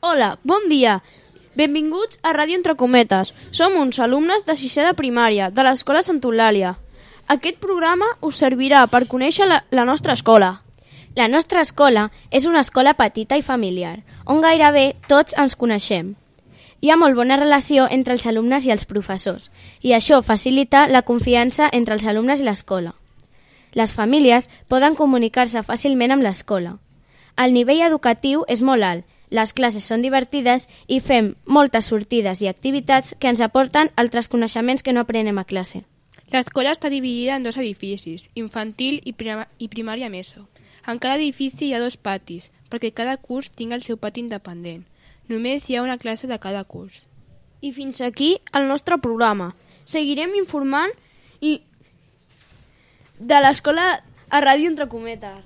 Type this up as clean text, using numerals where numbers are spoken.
Hola, bon dia. Benvinguts a Ràdio Entre Cometes. Som uns alumnes de 6è de primària de l'Escola Sant Eulàlia. Aquest programa us servirà per conèixer la nostra escola. La nostra escola és una escola petita i familiar, on gairebé tots ens coneixem. Hi ha molt bona relació entre els alumnes i els professors, i això facilita la confiança entre els alumnes i l'escola. Les famílies poden comunicar-se fàcilment amb l'escola. El nivell educatiu és molt alt, les classes són divertides i fem moltes sortides i activitats que ens aporten altres coneixements que no aprenem a classe. L'escola està dividida en 2 edificis, infantil i primària meso. En cada edifici hi ha 2 patis, perquè cada curs tingui el seu pati independent. Només hi ha una classe de cada curs. I fins aquí el nostre programa. Seguirem informant de l'escola a Ràdio Entre Cometes.